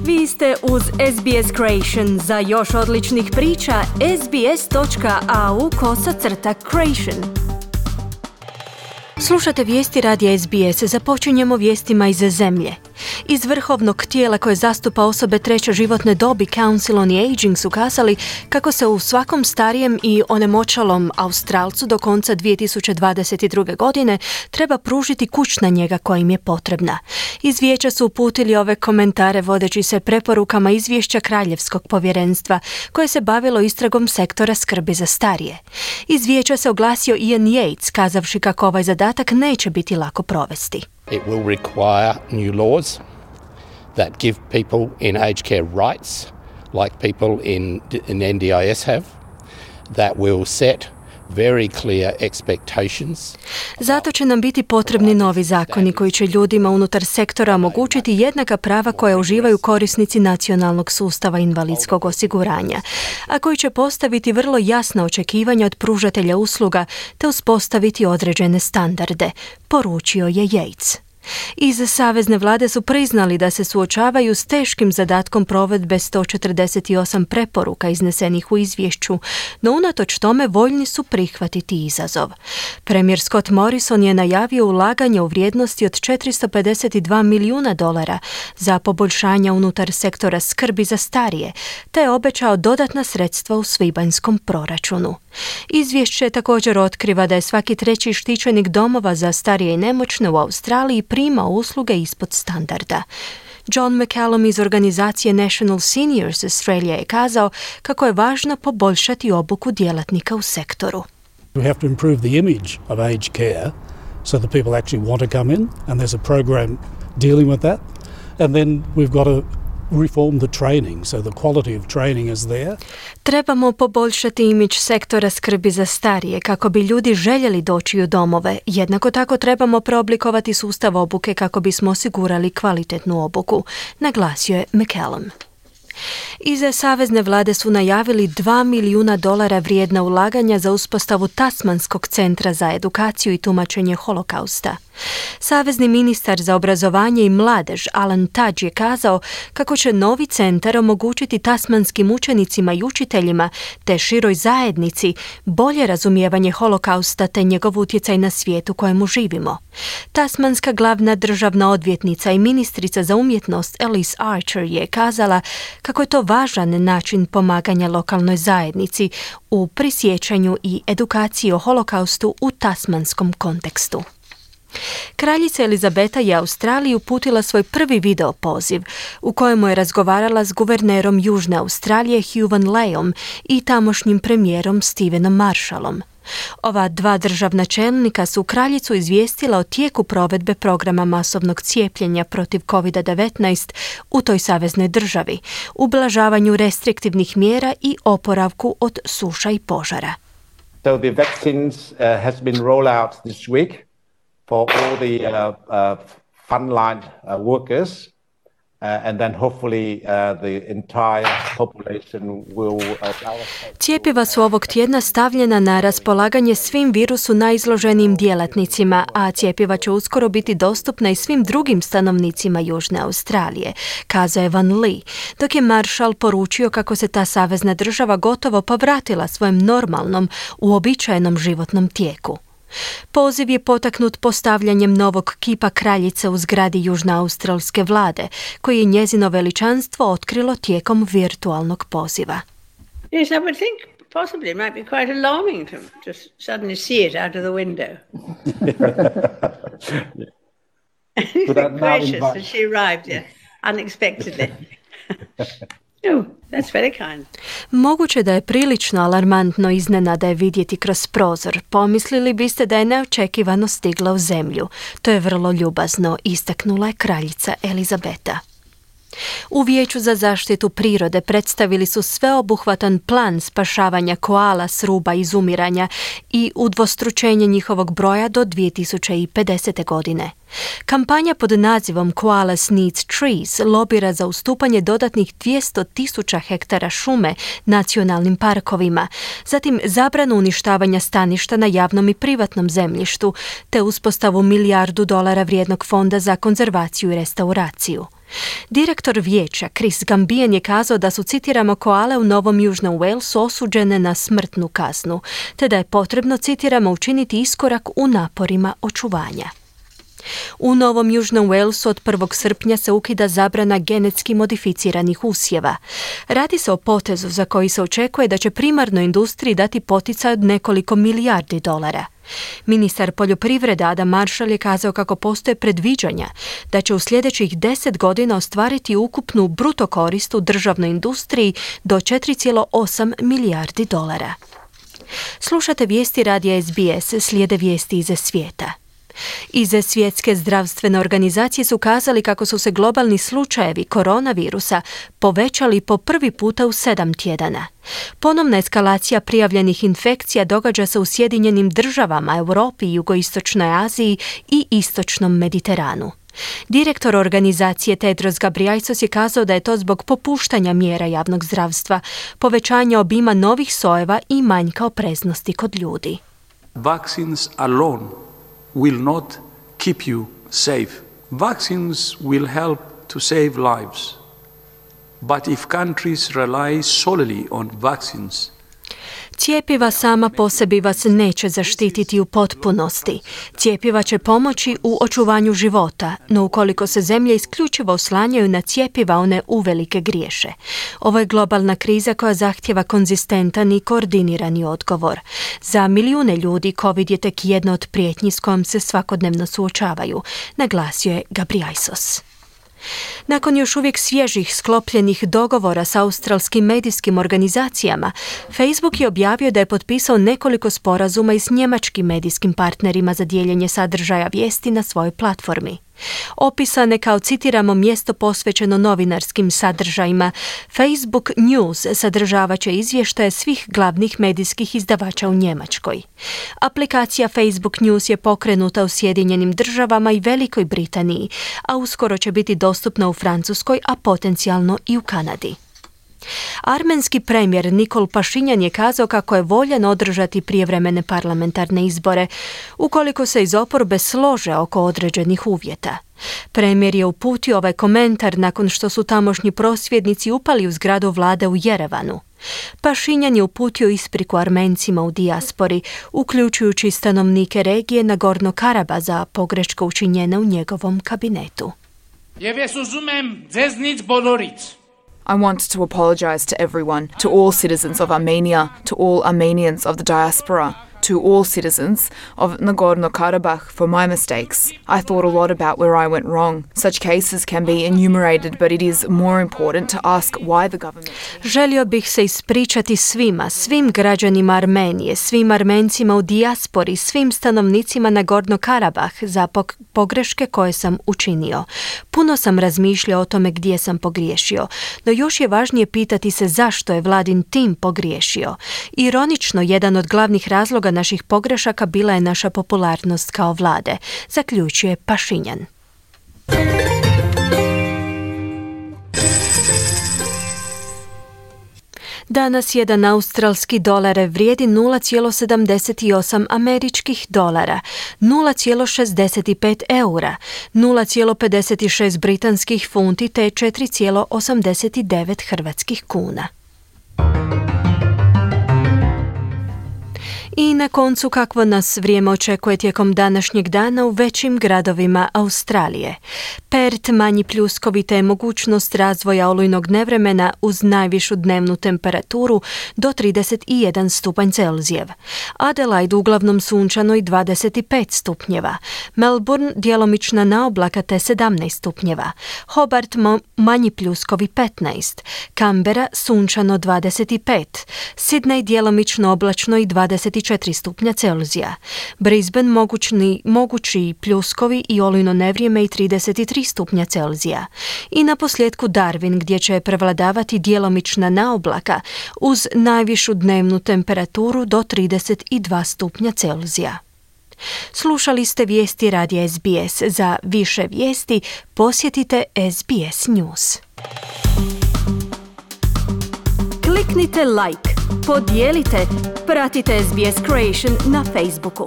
Vi ste uz SBS Creation. Za još odličnih priča, sbs.au/creation. Slušate vijesti radija SBS. Započinjemo vijestima iz zemlje. Iz vrhovnog tijela koje zastupa osobe treće životne dobi, Council on the Aging, su kazali kako se u svakom starijem i onemoćalom Australcu do konca 2022. godine treba pružiti kućna njega koja im je potrebna. Iz vijeća su uputili ove komentare vodeći se preporukama izvješća Kraljevskog povjerenstva koje se bavilo istragom sektora skrbi za starije. Iz vijeća se oglasio Ian Yates, kazavši kako ovaj zadatak neće biti lako provesti. It will require new laws that give people in aged care rights, like people in NDIS have, that will set very clear expectations. Zato će nam biti potrebni novi zakoni koji će ljudima unutar sektora omogućiti jednaka prava koja uživaju korisnici nacionalnog sustava invalidskog osiguranja, a koji će postaviti vrlo jasna očekivanja od pružatelja usluga te uspostaviti određene standarde, poručio je Yates. Iz savezne vlade su priznali da se suočavaju s teškim zadatkom provedbe 148 preporuka iznesenih u izvješću, no unatoč tome voljni su prihvatiti izazov. Premijer Scott Morrison je najavio ulaganje u vrijednosti od $452 milijuna za poboljšanja unutar sektora skrbi za starije, te je obećao dodatna sredstva u svibanjskom proračunu. Izvješće također otkriva da je svaki treći štićenik domova za starije i nemoćne u Australiji prima usluge ispod standarda. John McCallum iz organizacije National Seniors Australia je kazao kako je važno poboljšati obuku djelatnika u sektoru. We have to improve the image of aged care so that people actually want to come in, and there's a program dealing with that. And then we've got to reform the training, so the quality of training is there. Trebamo poboljšati imidž sektora skrbi za starije kako bi ljudi željeli doći u domove. Jednako tako trebamo preoblikovati sustav obuke kako bismo osigurali kvalitetnu obuku, naglasio je McCallum. Iz savezne vlade su najavili $2 milijuna vrijedna ulaganja za uspostavu Tasmanskog centra za edukaciju i tumačenje holokausta. Savezni ministar za obrazovanje i mladež Alan Tudge je kazao kako će novi centar omogućiti tasmanskim učenicima i učiteljima te široj zajednici bolje razumijevanje holokausta te njegov utjecaj na svijet u kojemu živimo. Tasmanska glavna državna odvjetnica i ministrica za umjetnost Alice Archer je kazala kako je to važan način pomaganja lokalnoj zajednici u prisjećanju i edukaciji o holokaustu u tasmanskom kontekstu. Kraljica Elizabeta je Australiji uputila svoj prvi video poziv u kojemu je razgovarala s guvernerom Južne Australije Hugh Van Leyom i tamošnjim premijerom Stevenom Marshallom. Ova dva državna čelnika su kraljicu izvijestila o tijeku provedbe programa masovnog cijepljenja protiv COVID-19 u toj saveznoj državi, ublažavanju restriktivnih mjera i oporavku od suša i požara. So the vaccines has been rolled out this week for all the frontline workers. And then hopefully the entire population will Cjepiva su ovog tjedna stavljena na raspolaganje svim virusu najizloženijim djelatnicima, a cjepiva će uskoro biti dostupna i svim drugim stanovnicima Južne Australije, kazao je Van Lee, dok je Marshall poručio kako se ta savezna država gotovo povratila svojem normalnom, uobičajenom životnom tijeku. Poziv je potaknut postavljanjem novog kipa kraljice u zgradi južnoaustralske vlade, koji je njezino veličanstvo otkrilo tijekom virtualnog poziva. Yes, I would think possibly it might be quite alarming to just suddenly see it out of the window. Gracious that she arrived here unexpectedly. Oh, that's very kind. Moguće da je prilično alarmantno iznenada je vidjeti kroz prozor. Pomislili biste da je neočekivano stigla u zemlju. To je vrlo ljubazno, istaknula je kraljica Elizabeta. U Vijeću za zaštitu prirode predstavili su sveobuhvatan plan spašavanja koala s ruba izumiranja i udvostručenje njihovog broja do 2050. godine. Kampanja pod nazivom Koalas Needs Trees lobira za ustupanje dodatnih 200.000 hektara šume nacionalnim parkovima, zatim zabranu uništavanja staništa na javnom i privatnom zemljištu, te uspostavu $1 milijardu vrijednog fonda za konzervaciju i restauraciju. Direktor vijeća Chris Gambian je kazao da su, citiramo, koale u Novom Južnom Walesu osuđene na smrtnu kaznu, te da je potrebno, citiramo, učiniti iskorak u naporima očuvanja. U Novom Južnom Walesu od 1. srpnja se ukida zabrana genetski modificiranih usjeva. Radi se o potezu za koji se očekuje da će primarnoj industriji dati poticaj od nekoliko milijardi dolara. Ministar poljoprivrede Adam Marshall je kazao kako postoje predviđanja da će u sljedećih 10 godina ostvariti ukupnu bruto korist u državnoj industriji do 4,8 milijardi dolara. Slušate vijesti radija SBS, slijede vijesti iz svijeta. Iz Svjetske zdravstvene organizacije su kazali kako su se globalni slučajevi koronavirusa povećali po prvi puta u 7 tjedana. Ponovna eskalacija prijavljenih infekcija događa se u Sjedinjenim državama, Europi, Jugoistočnoj Aziji i Istočnom Mediteranu. Direktor organizacije Tedros Ghebreyesus je kazao da je to zbog popuštanja mjera javnog zdravstva, povećanja obima novih sojeva i manjka opreznosti kod ljudi. Vaccines alone will not keep you safe. Vaccines will help to save lives. But if countries rely solely on vaccines, Cjepiva sama po sebi vas neće zaštititi u potpunosti. Cjepiva će pomoći u očuvanju života, no ukoliko se zemlje isključivo oslanjaju na cjepiva, one uvelike griješe. Ovo je globalna kriza koja zahtjeva konzistentan i koordinirani odgovor. Za milijune ljudi COVID je tek jedna od prijetnji s kojom se svakodnevno suočavaju, naglasio je Ghebreyesus. Nakon još uvijek svježih sklopljenih dogovora s australskim medijskim organizacijama, Facebook je objavio da je potpisao nekoliko sporazuma i s njemačkim medijskim partnerima za dijeljenje sadržaja vijesti na svojoj platformi. Opisane kao, citiramo, mjesto posvećeno novinarskim sadržajima, Facebook News sadržavat će izvještaje svih glavnih medijskih izdavača u Njemačkoj. Aplikacija Facebook News je pokrenuta u Sjedinjenim državama i Velikoj Britaniji, a uskoro će biti dostupna u Francuskoj, a potencijalno i u Kanadi. Armenski premijer Nikol Pašinjan je kazao kako je voljan održati prijevremene parlamentarne izbore, ukoliko se iz oporbe slože oko određenih uvjeta. Premijer je uputio ovaj komentar nakon što su tamošnji prosvjednici upali u zgradu vlade u Jerevanu. Pašinjan je uputio ispriku Armencima u dijaspori, uključujući stanovnike regije Nagorno-Karaba za pogreške učinjene u njegovom kabinetu. I want to apologize to everyone, to all citizens of Armenia, to all Armenians of the diaspora, to all citizens of Nagorno-Karabakh for my mistakes. I thought a lot about where I went wrong. Such cases can be enumerated, but it is more important to ask why the government... Želio bih se ispričati svim građanima Armenije, svim Armencima u dijaspori, svim stanovnicima Nagorno-Karabakh za pogreške koje sam učinio. Puno sam razmišljao o tome gdje sam pogriješio, no još je važnije pitati se zašto je vladin tim pogriješio. Ironično, jedan od glavnih razloga naših pogrešaka bila je naša popularnost kao vlade, zaključuje Pašinjan. Danas jedan australski dolar vrijedi 0,78 američkih dolara, 0,65 eura, 0,56 britanskih funti te 4,89 hrvatskih kuna. I na koncu, kakvo nas vrijeme očekuje tijekom današnjeg dana u većim gradovima Australije. Perth, manji pljuskovi te mogućnost razvoja olujnog nevremena uz najvišu dnevnu temperaturu do 31 stupanj Celzijev. Adelaide uglavnom sunčano i 25 stupnjeva. Melbourne djelomična naoblaka te 17 stupnjeva. Hobart manji pljuskovi 15. Canberra sunčano 25. Sydney djelomično oblačno i 24 stupnja Celzija. Brisbane mogući pljuskovi i olujno nevrijeme i 33 stupnja Celzija. I na posljedku Darwin gdje će prevladavati djelomična naoblaka uz najvišu dnevnu temperaturu do 32 stupnja Celzija. Slušali ste vijesti radija SBS. Za više vijesti posjetite SBS News. Kliknite like, podijelite, pratite SBS Creation na Facebooku.